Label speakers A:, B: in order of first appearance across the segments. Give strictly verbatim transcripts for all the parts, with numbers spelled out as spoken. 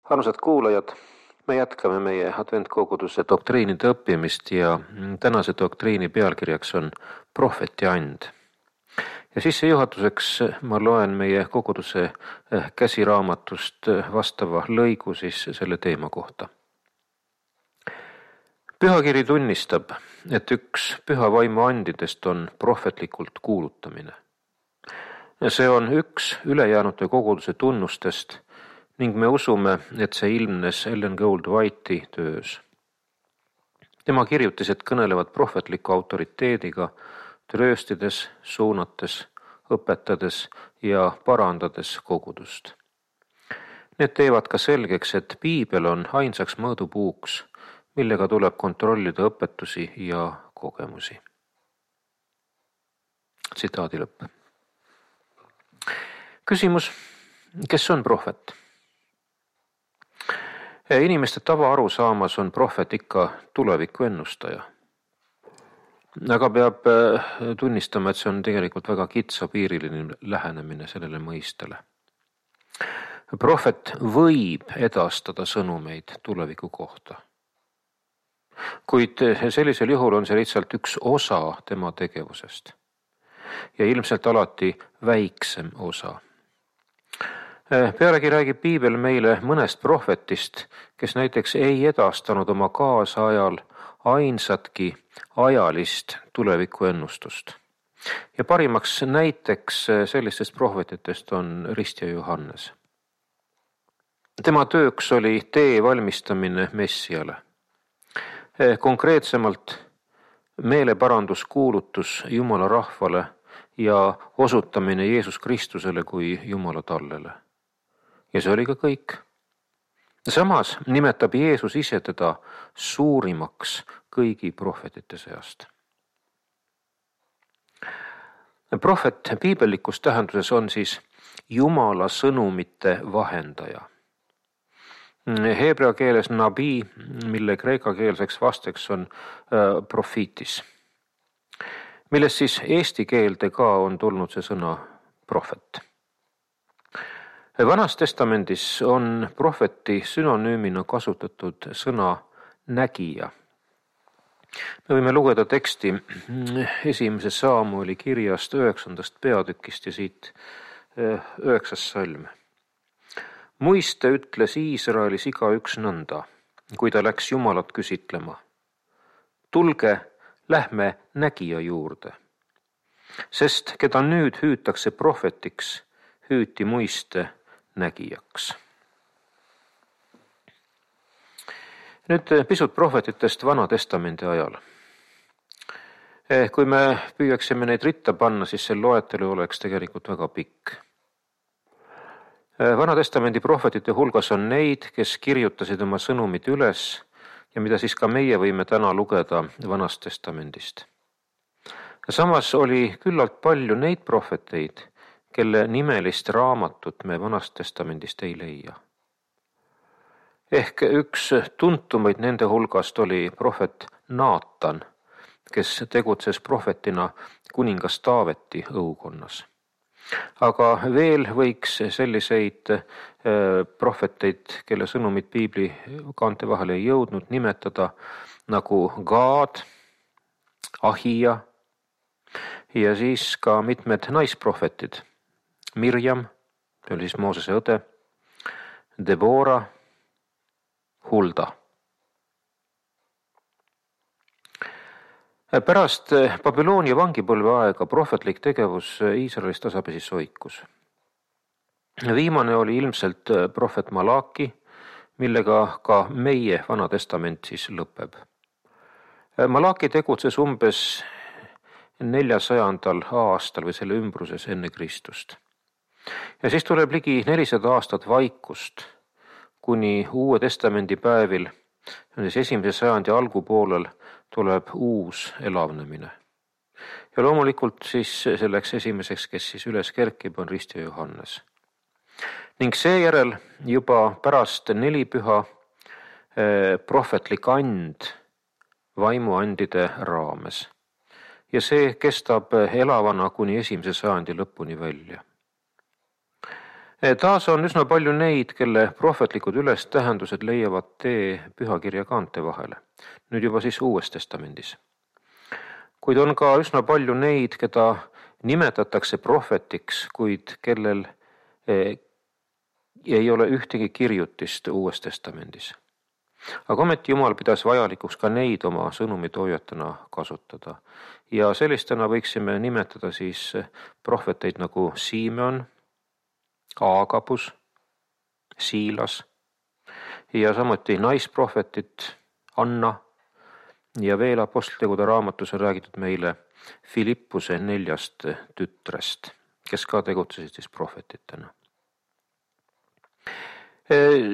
A: Armsad kuulajad, me jätkame meie adventkoguduse doktriinide õppimist ja tänase doktriini pealkirjaks on prohveti and. Ja sissejuhatuseks ma loen meie koguduse käsiraamatust vastava lõigu siis selle teema kohta. Pühakiri tunnistab, et üks püha vaimu andidest on prohvetlikult kuulutamine. See on üks ülejäänute koguduse tunnustest ning me usume, et see ilmnes Ellen Gould White'i töös. Tema kirjutised kõnelevad prohvetliku autoriteediga, trööstides, suunates, õpetades ja parandades kogudust. Need teevad ka selgeks, et piibel on ainsaks mõõdupuuks, millega tuleb kontrollida õpetusi ja kogemusi. Tsitaadi lõpp. Küsimus, kes on prohvet? Inimeste tava aru saamas on prohvet ikka tuleviku ennustaja. Aga peab tunnistama, et see on tegelikult väga kitsapiiriline lähenemine sellele mõistele. Prohvet võib edastada sõnumeid tuleviku kohta. Kuid sellisel juhul on see lihtsalt üks osa tema tegevusest. Ja ilmselt alati väiksem osa. Pealegi räägib piibel meile mõnest prohvetist, kes näiteks ei edastanud oma kaasajal ainsatki ajalist tuleviku ennustust. Ja parimaks näiteks sellistest prohvetitest on Ristja Johannes. Tema tööks oli tee valmistamine Messiale. Konkreetsemalt meeleparanduskuulutus Jumala rahvale ja osutamine Jeesus Kristusele kui Jumala tallele. Ja see oli ka kõik. Samas nimetab Jeesus ise teda suurimaks kõigi prohvetite seast. Prohvet piibellikus tähenduses on siis Jumala sõnumite vahendaja. Heebrea keeles nabi, mille kreeka keelseks vasteks on profiitis, milles siis eesti keelde ka on tulnud see sõna prohvet. Vanas testamendis on prohveti synonüümina kasutatud sõna nägija. Me võime lugeda teksti esimese Saamueli kirjast üheksandast peatükist ja siit üheksas salm. Muiste ütles Iisraelis igaüks nõnda, kui ta läks Jumalat küsitlema. Tulge, lähme nägija juurde, sest keda nüüd hüütakse prohvetiks, hüüti muiste nägijaks. Nüüd pisut prohvetitest Vana testamendi ajal. Kui me püüaksime neid ritta panna, siis see loetelu oleks tegelikult väga pikk. Vana testamendi prohvetite hulgas on neid, kes kirjutasid oma sõnumid üles ja mida siis ka meie võime täna lugeda Vanast testamendist. Samas oli küllalt palju neid prohveteid, kelle nimelist raamatut me Vanast testamendist ei leia. Ehk üks tuntumaid nende hulgast oli prohvet Naatan, kes tegutses prohvetina kuningas Taaveti õukonnas. Aga veel võiks selliseid prohveteid, kelle sõnumid piibli kaante vahele ei jõudnud, nimetada nagu Gaad, Ahija ja siis ka mitmed naisprohvetid. Mirjam, see oli siis Moosese õde, Debora, Hulda. Pärast Babyloonia vangipõlve aega prohvetlik tegevus Iisraelis tasapisi soikus. Viimane oli ilmselt prohvet Malaki, millega ka meie Vana testament siis lõpeb. Malaki tegutses umbes neljasajandal aastal või selle ümbruses enne Kristust. Ja siis tuleb ligi nelisada aastat vaikust, kuni Uue testamendi päevil, siis esimese sajandi algupoolel, tuleb uus elavnemine. Ja loomulikult siis selleks esimeseks, kes siis üles kerkib, on Ristja Johannes. Ning seejärel juba pärast nelipüha prohvetlik and vaimuandide raames. Ja see kestab elavana kuni esimese sajandi lõpuni välja. Taas on üsna palju neid, kelle prohvetlikud ülestähendused leiavad tee pühakirja kaante vahele. Nüüd juba siis Uues Testamendis. Kuid on ka üsna palju neid, keda nimetatakse prohvetiks, kuid kellel ei ole ühtegi kirjutist Uues Testamendis. Aga ometi Jumal pidas vajalikuks ka neid oma sõnumitoojatena kasutada. Ja sellistena võiksime nimetada siis prohveteid nagu Simeon, Aagabus, Siilas ja samuti naisprohvetit Anna ja veel apostlitegude raamatus on räägitud meile Filippuse neljast tütrest, kes ka tegutsesid siis prohvetitena.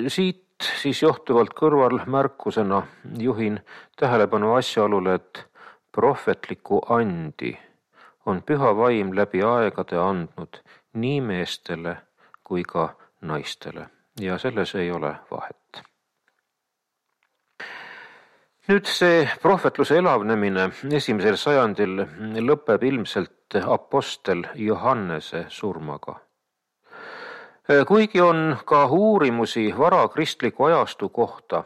A: Siit siis johtuvalt kõrvalmärkusena juhin tähelepanu asjaolule, et prohvetliku andi on püha vaim läbi aegade andnud nii meestele kui ka naistele ja selles ei ole vahet. Nüüd see prohvetluse elavnemine esimesel sajandil lõpeb ilmselt apostel Johannese surmaga. Kuigi on ka uurimusi vara kristliku ajastu kohta,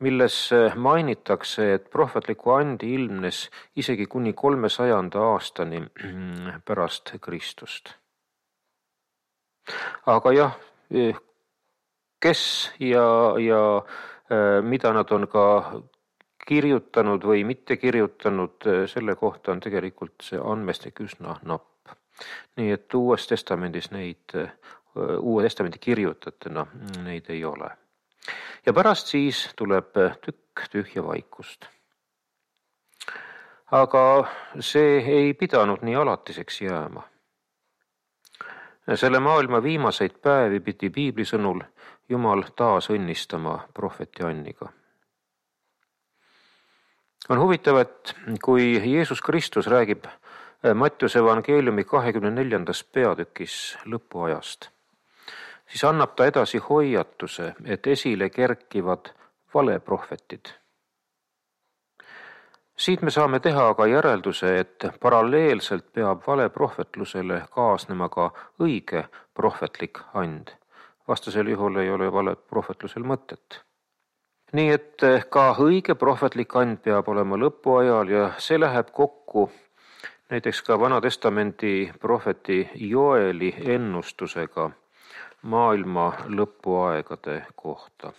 A: milles mainitakse, et prohvetliku andi ilmnes isegi kuni kolmesajanda aastani pärast Kristust. Aga jah, kes ja, ja mida nad on ka kirjutanud või mitte kirjutanud, selle kohta on tegelikult see andmestik üsna napp. Nii et Uues Testamendis neid, Uue Testamendi kirjutatena neid ei ole. Ja pärast siis tuleb tükk tühja vaikust. Aga see ei pidanud nii alatiseks jääma. Selle maailma viimaseid päevi pidi Piibli sõnul Jumal taas õnnistama prohveti Anniga. On huvitav, et kui Jeesus Kristus räägib Mattiuse evangeeliumi kahekümne neljandas peatükis lõpuajast, siis annab ta edasi hoiatuse, et esile kerkivad valeprohvetid. Siit me saame teha aga järelduse, et paralleelselt peab valeprohvetlusele kaasnema ka õige prohvetlik and. Vastasel juhul ei ole valeprohvetlusel mõtet. Nii et ka õige prohvetlik and peab olema lõpuajal ja see läheb kokku näiteks ka Vana Testamendi prohveti Joeli ennustusega maailma lõpuaegade kohta.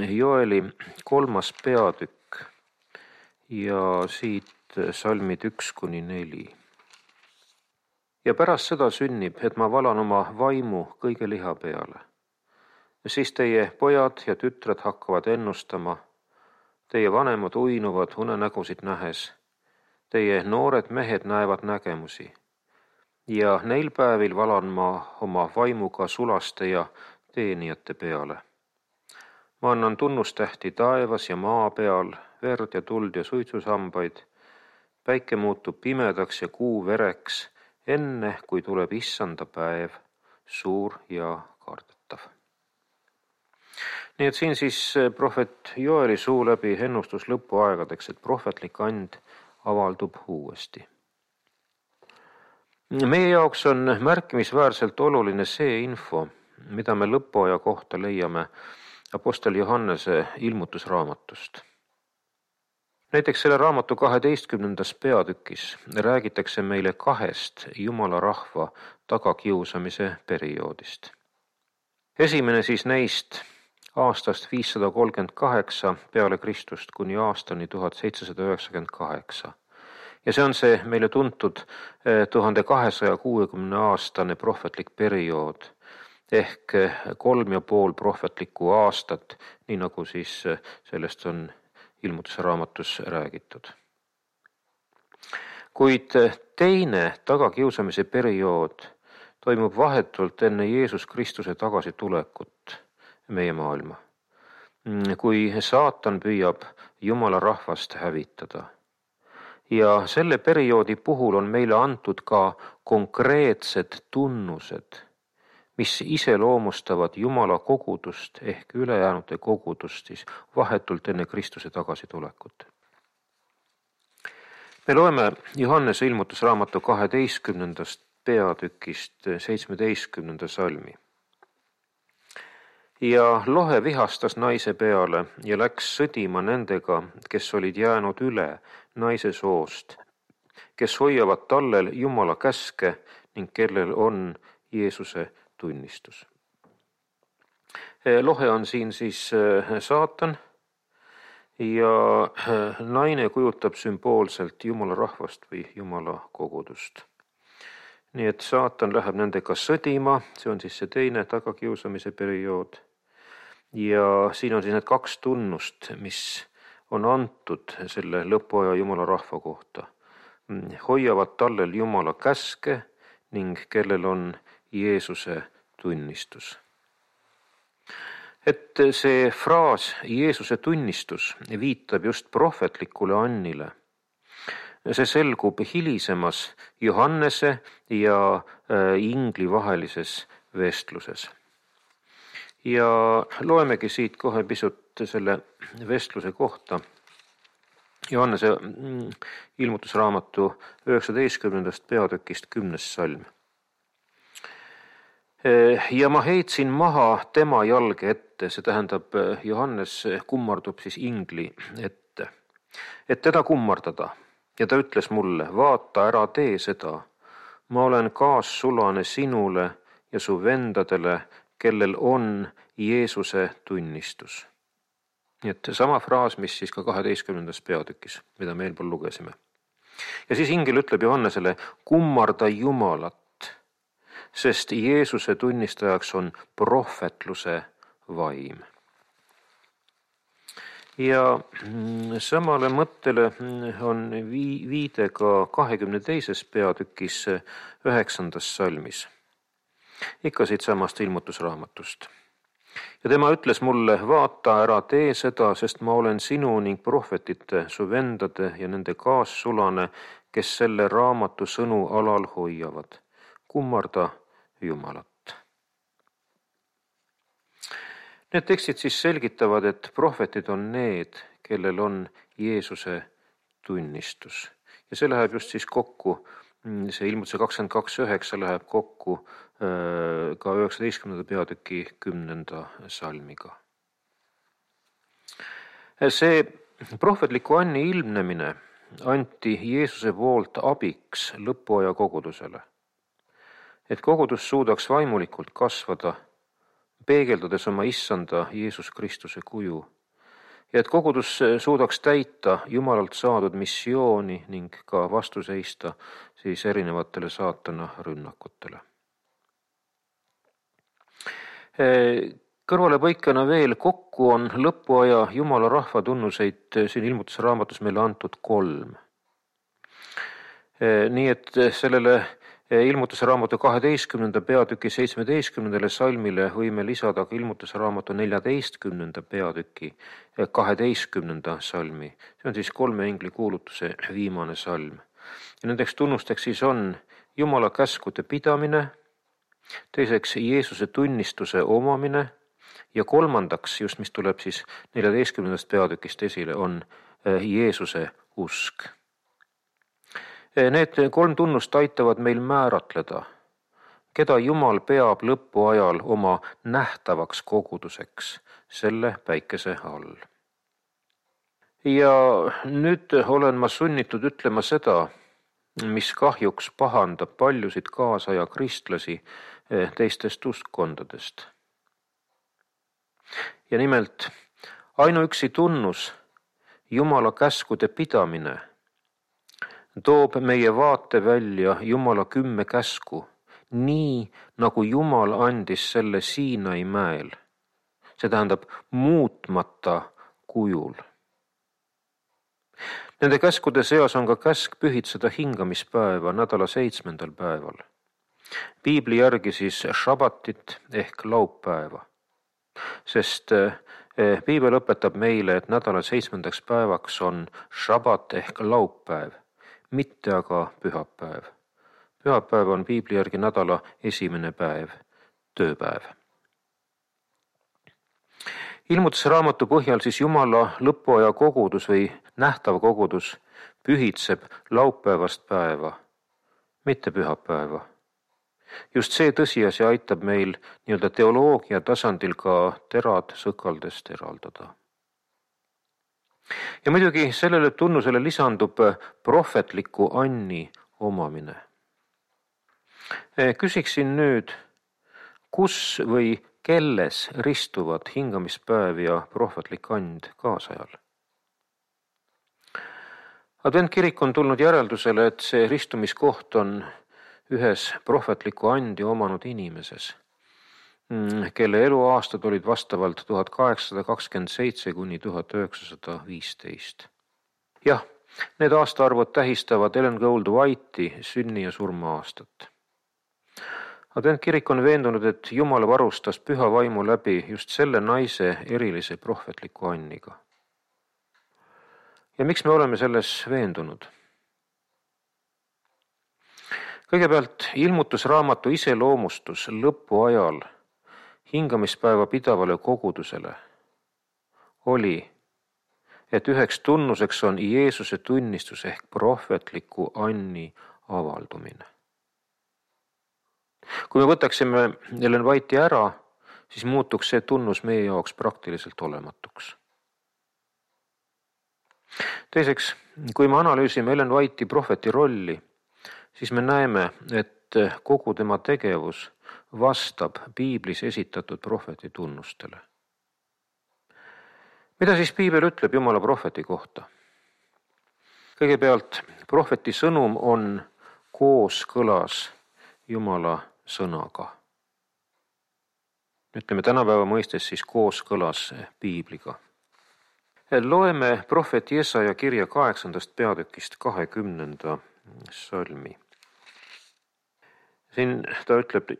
A: Joeli kolmas peatükk ja siit salmid üks kuni neli. Ja pärast seda sünnib, et ma valan oma vaimu kõige liha peale. Siis teie pojad ja tütred hakkavad ennustama, teie vanemad uinuvad unenägusid nähes, teie noored mehed näevad nägemusi ja neil päevil valan ma oma vaimuga sulaste ja teenijate peale. Ma annan tunnustähti taevas ja maa peal, verd ja tuld ja suitsusambaid, päike muutub pimedaks ja kuu vereks, enne kui tuleb issanda päev, suur ja kardetav. Nii et siin siis prohvet Joeli suu läbi ennustus lõpuaegadeks, et prohvetlik and avaldub uuesti. Meie jaoks on märkimisväärselt oluline see info, mida me lõpuaja kohta leiame apostel Johannese ilmutusraamatust. Näiteks selle raamatu kaheteistkümnendas peatükis räägitakse meile kahest Jumala rahva tagakiusamise perioodist. Esimene siis neist aastast viissada kolmkümmend kaheksa peale Kristust kuni aastani tuhat seitsesada üheksakümmend kaheksa. Ja see on see meile tuntud tuhande kahesaja kuuekümne aastane prohvetlik periood ehk kolm ja pool prohvetlikku aastat, nii nagu siis sellest on ilmutuse raamatus räägitud. Kuid teine tagakiusamise periood toimub vahetult enne Jeesus Kristuse tagasitulekut meie maailma, kui saatan püüab Jumala rahvast hävitada. Ja selle perioodi puhul on meile antud ka konkreetsed tunnused, mis iseloomustavad Jumala kogudust ehk ülejäänute kogudust siis vahetult enne Kristuse tagasitulekut. Me loeme Johannese ilmutusraamatu kaheteistkümnendast peatükist seitsmeteistkümnenda salmi. Ja lohe vihastas naise peale ja läks sõdima nendega, kes olid jäänud üle naise soost, kes hoiavad tallel Jumala käske ning kellel on Jeesuse tunnistus. Lohe on siin siis saatan ja naine kujutab sümboolselt Jumala rahvast või Jumala kogudust. Nii et saatan läheb nendega sõdima, see on siis see teine tagakiusamise periood. Ja siin on siis need kaks tunnust, mis on antud selle lõpuaja Jumala rahva kohta. Hoiavad tallel Jumala käske ning kellel on Jeesuse tunnistus. Et see fraas Jeesuse tunnistus viitab just prohvetlikule Annile. See selgub hilisemas Johannese ja ingli vahelises vestluses. Ja loemegi siit kohe pisut selle vestluse kohta. Johannese ilmutusraamatu üheksateistkümnendast peatükist kümnes salm. Ja ma heitsin maha tema jalge ette, see tähendab, Johannes kummardub siis ingli ette, et teda kummardada. Ja ta ütles mulle, vaata, ära tee seda. Ma olen kaassulane sinule ja su vendadele, kellel on Jeesuse tunnistus. Nii et sama fraas, mis siis ka kaheteistkümnendas peatükis, mida me eelpool lugesime. Ja siis ingel ütleb Johannesele, kummarda Jumalat, sest Jeesuse tunnistajaks on prohvetluse vaim. Ja samale mõttele on viide ka kahekümne teises peatükis üheksandas salmis. Ikka siit samast ilmutusraamatust. Ja tema ütles mulle, vaata, ära tee seda, sest ma olen sinu ning prohvetite, su vendade ja nende kaassulane, kes selle raamatu sõnu alal hoiavad. Kummarda Jumalat. Need tekstid siis selgitavad, et prohvetid on need, kellel on Jeesuse tunnistus. Ja see läheb just siis kokku, see ilmutuse kakskümmend kaks üheksa läheb kokku ka üheksateistkümnenda peatüki kümnenda salmiga. See prohvetliku Anni ilmnemine anti Jeesuse poolt abiks lõpuaja kogudusele. Et kogudus suudaks vaimulikult kasvada, peegeldades oma issanda Jeesus Kristuse kuju. Ja et kogudus suudaks täita Jumalalt saadud missiooni ning ka vastu seista siis erinevatele saatana rünnakutele. Kõrvalepõikena veel kokku on lõpuaja Jumala rahva tunnuseid siin ilmutusraamatus meile antud kolm. Nii et sellele ilmutusraamatu kaheteistkümnenda peatüki seitsmeteistkümnendale salmile võime lisada ka ilmutusraamatu neljateistkümnenda peatüki kaheteistkümnenda salmi. See on siis kolme ingli kuulutuse viimane salm. Ja nendeks tunnusteks siis on Jumala käskude pidamine, teiseks Jeesuse tunnistuse omamine ja kolmandaks, just mis tuleb siis neljateistkümnendast peatükist esile, on Jeesuse usk. Need kolm tunnust aitavad meil määratleda, keda Jumal peab lõpuajal oma nähtavaks koguduseks selle päikese all. Ja nüüd olen ma sunnitud ütlema seda, mis kahjuks pahandab paljusid kaasaja kristlasi teistest uskkondadest. Ja nimelt, ainuüksi tunnus, Jumala käskude pidamine, toob meie vaate välja Jumala kümme käsku, nii nagu Jumal andis selle Siinai mäel. See tähendab muutmata kujul. Nende käskude seas on ka käsk pühitseda hingamispäeva nädala seitsmendal päeval. Piibli järgi siis šabatit ehk laupäeva. Sest Piibel õpetab meile, et nädala seitsmendaks päevaks on šabat ehk laupäev, mitte aga pühapäev. Pühapäev on Piibli järgi nädala esimene päev, tööpäev. Ilmutusraamatu põhjal siis Jumala lõpuaja kogudus või nähtav kogudus pühitseb laupäevast päeva, mitte pühapäeva, just see tõsiasi aitab meil nii-öelda teoloogia tasandil ka terad sõkaldest eraldada. Ja muidugi sellele tunnusele lisandub prohvetliku anni omamine. Küsiksin nüüd, kus või kelles ristuvad hingamispäev ja prohvetlik and kaasajal? Adventkirik on tulnud järeldusele, et see ristumiskoht on ühes prohvetliku andi omanud inimeses, kelle eluaastad olid vastavalt tuhat kaheksasada kakskümmend seitse kuni tuhat üheksasada viisteist. Jah, need aastaarvud tähistavad Ellen Goldwhite'i sünni- ja surma-aastat. Adventkirik on veendunud, et Jumal varustas püha vaimu läbi just selle naise erilise prohvetliku anniga. Ja miks me oleme selles veendunud? Kõigepealt ilmutusraamatu iseloomustus lõpu ajal hingamispäeva pidavale kogudusele oli, et üheks tunnuseks on Jeesuse tunnistus ehk prohvetliku anni avaldumine. Kui me võtaksime Ellen White'i ära, siis muutuks see tunnus meie jaoks praktiliselt olematuks. Teiseks, kui me analüüsime Ellen White'i prohveti rolli, siis me näeme, et kogu tema tegevus vastab piiblis esitatud prohveti tunnustele. Mida siis piibel ütleb Jumala prohveti kohta? Kõigepealt, prohveti sõnum on kooskõlas Jumala sõnaga. Ütleme tänapäeva mõistes siis kooskõlas piibliga. Loeme prohvet Jesaja kirja kaheksandast peatükist kahekümnenda salmi. Siin ta ütleb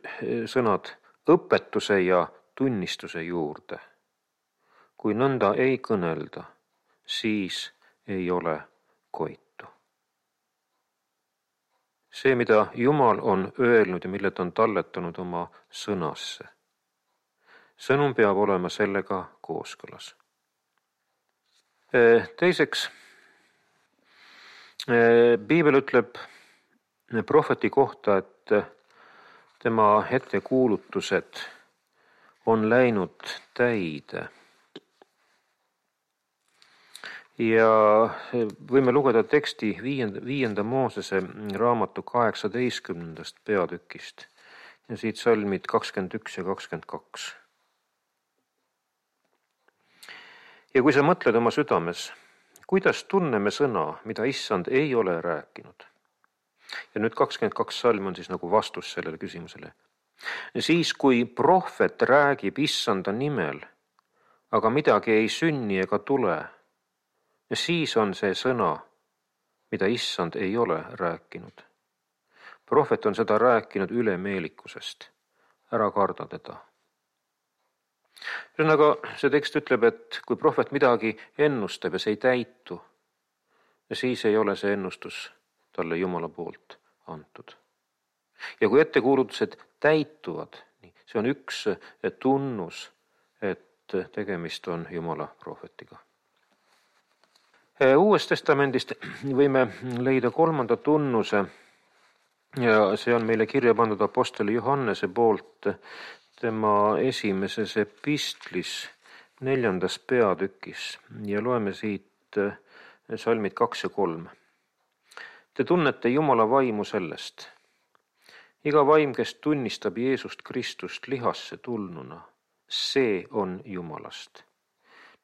A: sõnad õpetuse ja tunnistuse juurde. Kui nõnda ei kõnelda, siis ei ole koitu. See, mida Jumal on öelnud ja mille ta on talletanud oma sõnasse. Sõnum peab olema sellega kooskõlas. Teiseks, piibel ütleb prohveti kohta, et tema ettekuulutused on läinud täide. Ja võime lugeda teksti viienda, viienda Moosese raamatu kaheksateistkümnendast peatükist ja siit salmid kakskümmend üks ja kakskümmend kaks. Ja kui sa mõtled oma südames, kuidas tunneme sõna, mida issand ei ole rääkinud? Ja nüüd kakskümmend kaks salm on siis nagu vastus sellele küsimusele. Siis, kui prohvet räägib issanda nimel, aga midagi ei sünni ega tule, siis on see sõna, mida issand ei ole rääkinud. Prohvet on seda rääkinud ülemeelikusest. Ära karda teda. Ühesõnaga, see tekst ütleb, et kui prohvet midagi ennustab ja see ei täitu, siis ei ole see ennustus talle Jumala poolt antud. Ja kui ettekuulutused täituvad, see on üks tunnus, et tegemist on Jumala prohvetiga. Uues testamendist võime leida kolmanda tunnuse ja see on meile kirja pandud apostoli Johannese poolt tema esimeses epistlis neljandas peatükis ja loeme siit salmid kaks ja kolm. Te tunnete Jumala vaimu sellest. Iga vaim, kes tunnistab Jeesust Kristust lihasse tulnuna, see on Jumalast.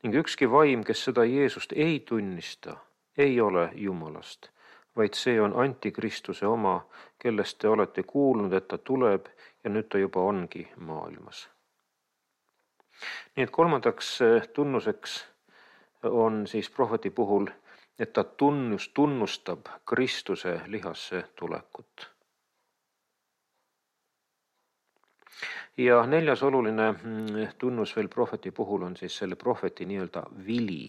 A: Ning ükski vaim, kes seda Jeesust ei tunnista, ei ole Jumalast, vaid see on antikristuse oma, kellest te olete kuulnud, et ta tuleb ja nüüd ta juba ongi maailmas. Nii et kolmandaks tunnuseks on siis prohveti puhul, et ta tunnus, tunnustab Kristuse lihasse tulekut. Ja neljas oluline tunnus veel prohveti puhul on siis selle prohveti nii-öelda vili.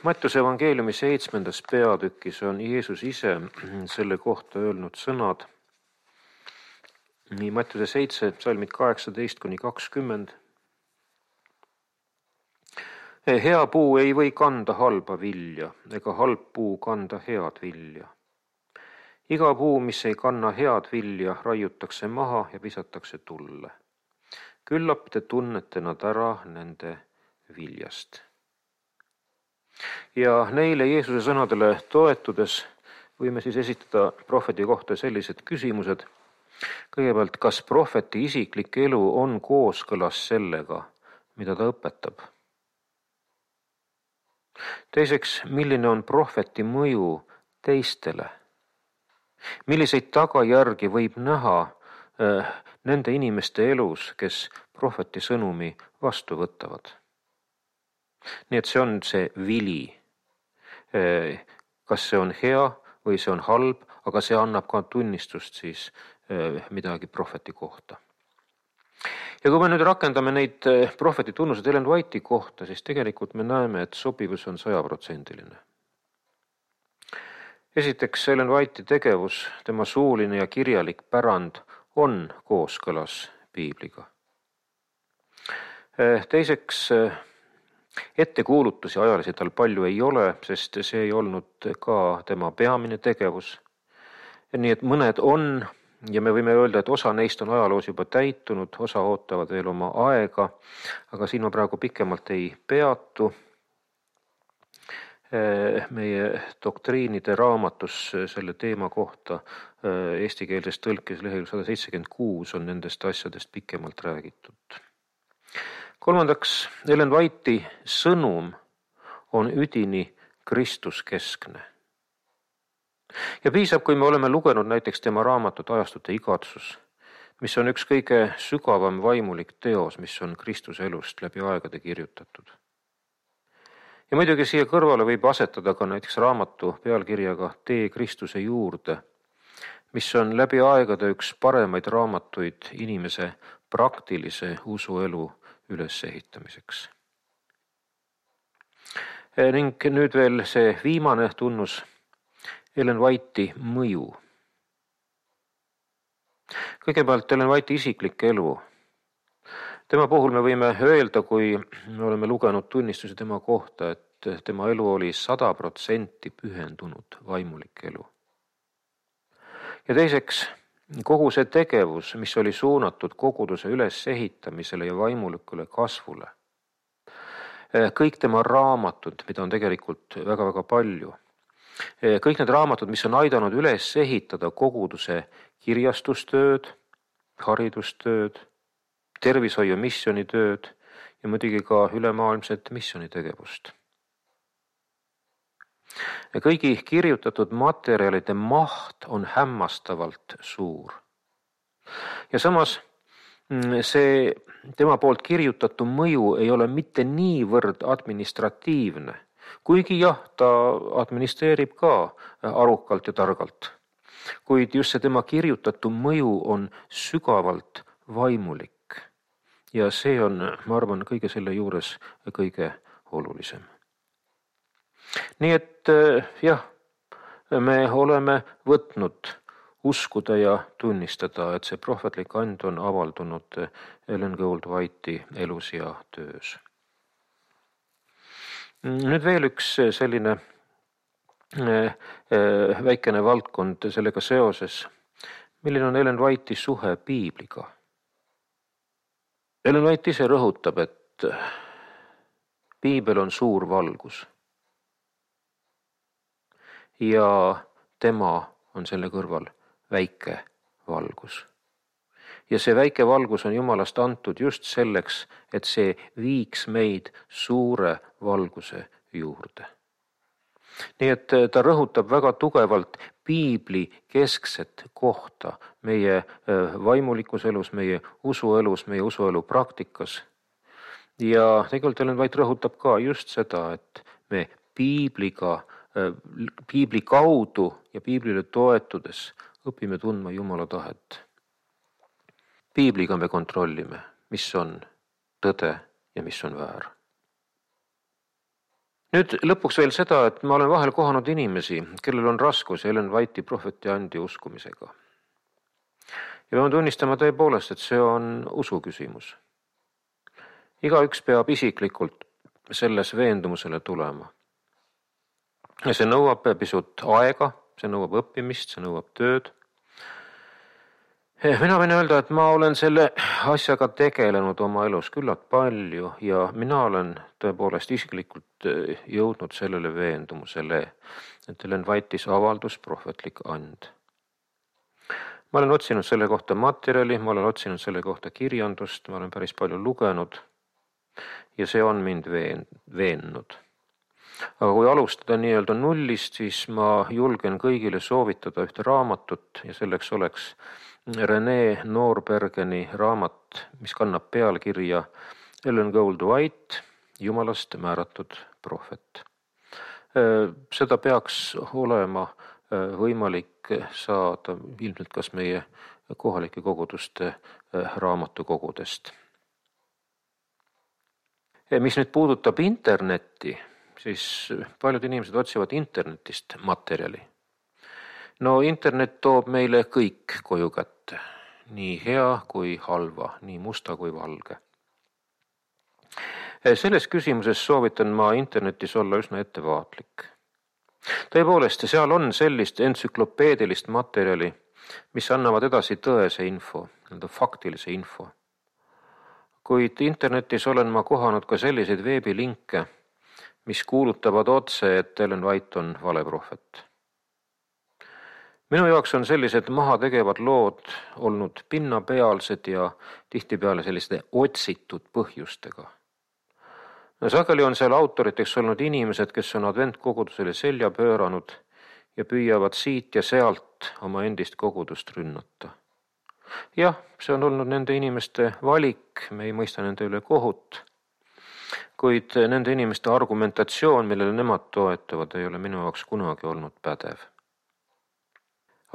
A: Mattiuse evangeeliumi seitsmendas peatükis on Jeesus ise selle kohta öelnud sõnad. Nii Mattiuse seitse, salmid kaheksateist kuni kakskümmend. Hea puu ei või kanda halba vilja, ega halb puu kanda head vilja. iga puu, mis ei kanna head vilja, raiutakse maha ja visatakse tulle. Küllap te tunnete nad ära nende viljast. Ja neile Jeesuse sõnadele toetudes võime siis esitada prohveti kohta sellised küsimused. Kõigepealt, kas prohveti isiklik elu on kooskõlas sellega, mida ta õpetab? Teiseks, milline on prohveti mõju teistele? Milliseid tagajärgi võib näha äh, nende inimeste elus, kes prohveti sõnumi vastu võtavad? Nii et see on see vili. Äh, kas see on hea või see on halb, aga see annab ka tunnistust siis äh, midagi prohveti kohta. Ja kui me nüüd rakendame neid prohveti tunnused Ellen White'i kohta, siis tegelikult me näeme, et sobivus on sajaprotsendiline. Esiteks, Ellen White'i tegevus, tema suuline ja kirjalik pärand on kooskõlas piibliga. Teiseks, ettekuulutusi ajalisi tal palju ei ole, sest see ei olnud ka tema peamine tegevus. Nii et mõned on, ja me võime öelda, et osa neist on ajaloos juba täitunud, osa ootavad veel oma aega, aga siin ma praegu pikemalt ei peatu. Meie doktriinide raamatus selle teema kohta eestikeelses tõlkes leheküljel sada seitsekümmend kuus on nendest asjadest pikemalt räägitud. Kolmandaks, Ellen White'i sõnum on üdini Kristuskeskne. Ja piisab, kui me oleme lugenud näiteks tema raamatut Ajastute igatsus, mis on üks kõige sügavam vaimulik teos, mis on Kristuse elust läbi aegade kirjutatud. Ja muidugi siia kõrvale võib asetada ka näiteks raamatu pealkirjaga Tee Kristuse juurde, mis on läbi aegade üks paremaid raamatuid inimese praktilise usuelu ülesehitamiseks. Ning nüüd veel see viimane tunnus, Ellen White'i mõju. Kõigepealt Ellen White'i isiklik elu. Tema puhul me võime öelda, kui me oleme lugenud tunnistusi tema kohta, et tema elu oli sada protsenti pühendunud vaimulik elu. Ja teiseks, kogu see tegevus, mis oli suunatud koguduse ülesehitamisele ja vaimulikule kasvule. Kõik tema raamatud, mida on tegelikult väga-väga palju. Kõik need raamatud, mis on aidanud üles ehitada koguduse kirjastustööd, haridustööd, tervishoiu missionitööd ja muidugi ka ülemaailmset missionitegevust. Kõigi kirjutatud materjalide maht on hämmastavalt suur. Ja samas see tema poolt kirjutatu mõju ei ole mitte niivõrd administratiivne, kuigi jah, ta administreerib ka arukalt ja targalt. Kuid just see tema kirjutatu mõju on sügavalt vaimulik. Ja see on, ma arvan, kõige selle juures kõige olulisem. Nii et jah, me oleme võtnud uskuda ja tunnistada, et see prohvetlik and on avaldunud Ellen Gould White'i elus ja töös. Nüüd veel üks selline väikene valdkond sellega seoses. Milline on Ellen White'i suhe piibliga? Ellen White ise rõhutab, et piibel on suur valgus. Ja tema on selle kõrval väike valgus. Ja see väike valgus on Jumalast antud just selleks, et see viiks meid suure valguse juurde. Nii et ta rõhutab väga tugevalt piibli keskset kohta meie vaimulikus elus, meie usuelus, meie usuelu praktikas. Ja tegelikult Ellen White rõhutab ka just seda, et me piibliga, piibli kaudu ja piiblile toetudes õpime tundma Jumala tahet. Piibliga me kontrollime, mis on tõde ja mis on väär. Nüüd lõpuks veel seda, et ma olen vahel kohanud inimesi, kellel on raskus Ellen White'i prohveti andi uskumisega. Ja peame tunnistama tõepoolest, et see on usu küsimus. Igaüks peab isiklikult selles veendumusele tulema. Ja see nõuab pisut aega, see nõuab õppimist, see nõuab tööd. Mina võin öelda, et ma olen selle asjaga tegelenud oma elus küllalt palju ja mina olen tõepoolest isiklikult jõudnud sellele veendumusele, et Ellen White'is avaldus prohvetlik and. Ma olen otsinud selle kohta materjali, ma olen otsinud selle kohta kirjandust, ma olen päris palju lugenud ja see on mind veen, veennud. Aga kui alustada nii-öelda nullist, siis ma julgen kõigile soovitada ühte raamatut ja selleks oleks René Norbergeni raamat, mis kannab pealkirja Ellen Gould White, Jumalast määratud prohvet. Seda peaks olema võimalik saada ilmselt kas meie kohalike koguduste raamatukogudest. Mis nüüd puudutab internetti, siis paljud inimesed otsivad internetist materjali. No internet toob meile kõik koju kätte, nii hea kui halva, nii musta kui valge. Selles küsimuses soovitan ma internetis olla üsna ettevaatlik. Tõepoolest, seal on sellist entsüklopeedilist materjali, mis annavad edasi tõese info, faktilise info. Kuid internetis olen ma kohanud ka selliseid veebilinke, mis kuulutavad otse, et Ellen White on valeprohvet. Minu jaoks on sellised maha tegevad lood olnud pinnapealsed ja tihtipeale selliste otsitud põhjustega. Sageli on seal autoriteks olnud inimesed, kes on adventkogudusele selja pööranud ja püüavad siit ja sealt oma endist kogudust rünnata. Jah, see on olnud nende inimeste valik, me ei mõista nende üle kohut, kuid nende inimeste argumentatsioon, millele nemad toetavad, ei ole minu jaoks kunagi olnud pädev.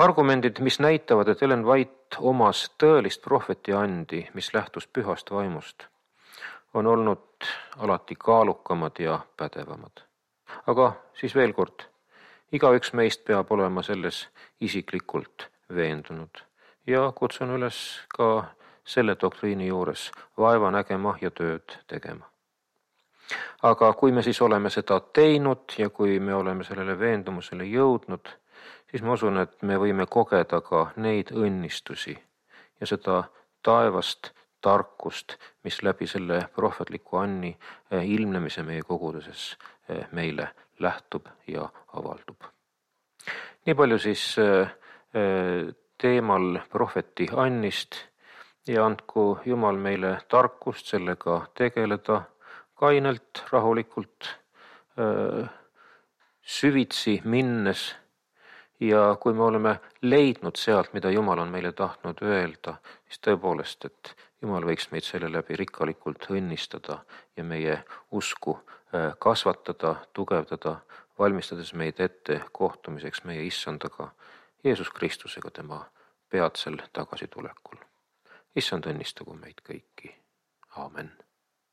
A: Argumendid, mis näitavad, et Ellen White omas tõelist prohveti andi, mis lähtus pühast vaimust, on olnud alati kaalukamad ja pädevamad. Aga siis veel kord, igaüks meist peab olema selles isiklikult veendunud ja kutsun üles ka selle doktriini juures vaeva nägema ja tööd tegema. Aga kui me siis oleme seda teinud ja kui me oleme sellele veendumusele jõudnud, siis ma usun, et me võime kogeda ka neid õnnistusi ja seda taevast tarkust, mis läbi selle prohvetliku anni ilmnemise meie koguduses meile lähtub ja avaldub. Nii palju siis teemal prohveti annist ja andku Jumal meile tarkust sellega tegeleda kainelt, rahulikult, süvitsi minnes. Ja kui me oleme leidnud sealt, mida Jumal on meile tahtnud öelda, siis tõepoolest, et Jumal võiks meid selle läbi rikkalikult õnnistada ja meie usku kasvatada, tugevdada, valmistades meid ette kohtumiseks meie issandaga, Jeesus Kristusega tema peatsel tagasitulekul. Issand õnnistagu meid kõiki. Aamen.